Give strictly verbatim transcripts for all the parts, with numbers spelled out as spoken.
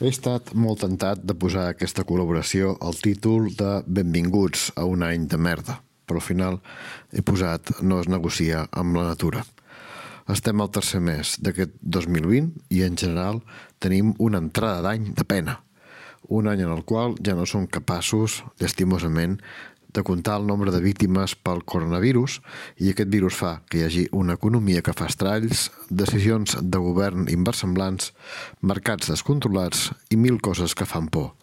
He estat molt tentat de posar a aquesta col·laboració el títol de Benvinguts a un any de merda, però al final he posat No es negocia amb la natura. Estem al tercer mes d'aquest dos mil vint i en general tenim una entrada d'any de pena. Un any en el qual ja no som capaços, llastimosament, de comptar el nombre de víctimes pel coronavirus i aquest virus fa que hi hagi una economia que fa estralls, decisions de govern inversemblants, mercats descontrolats i mil coses que fan por.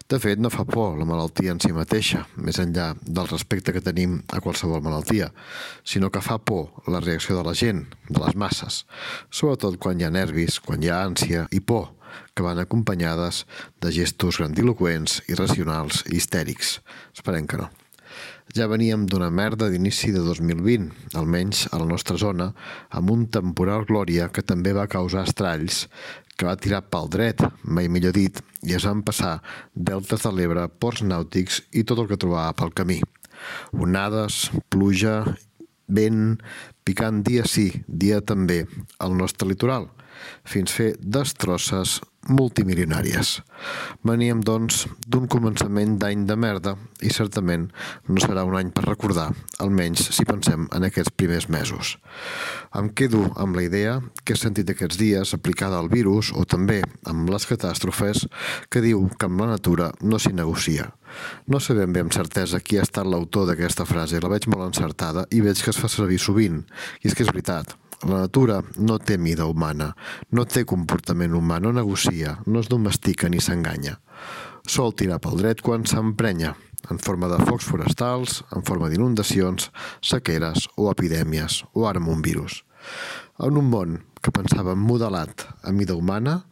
De fet, no fa por la malaltia en si mateixa, més enllà del respecte que tenim a qualsevol malaltia, sinó que fa por la reacció de la gent, de les masses, sobretot quan hi ha nervis, quan hi ha ànsia i por, que van acompanyades de gestos grandiloqüents, irracionals i histèrics. Esperem que no. Ja veníem d'una merda d'inici de dos mil vint, almenys a la nostra zona, amb un temporal Glòria que també va causar estralls, que va tirar pel dret, mai millor dit, i es van passar deltes de l'Ebre, ports nàutics i tot el que trobava pel camí. Onades, pluja, vent, picant dia sí, dia també, al nostre litoral, fins fer destrosses multimilionàries. Veníem, doncs, d'un començament d'any de merda i certament no serà un any per recordar, almenys si pensem en aquests primers mesos. Em quedo amb la idea que he sentit aquests dies aplicada al virus o també amb les catàstrofes que diu que amb la natura no s'hi negocia. No sé ben bé amb certesa qui ha estat l'autor d'aquesta frase, la veig molt encertada i veig que es fa servir sovint, i és que és veritat. La natura no té mida humana, no té comportament humà, no negocia, no es domestica ni s'enganya. Sol tirar pel dret quan s'emprenya, en forma de focs forestals, en forma d'inundacions, sequeres o epidèmies, o ara amb un virus. En un món que pensava modelat a mida humana,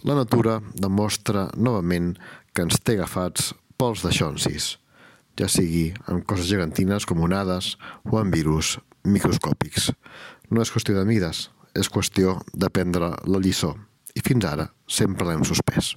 la natura demostra novament que ens té agafats pels daixonsis, ja sigui amb coses gegantines com onades o amb virus microscòpics. No és qüestió de mides, és qüestió d'aprendre la lliçó. I fins ara sempre l'hem suspès.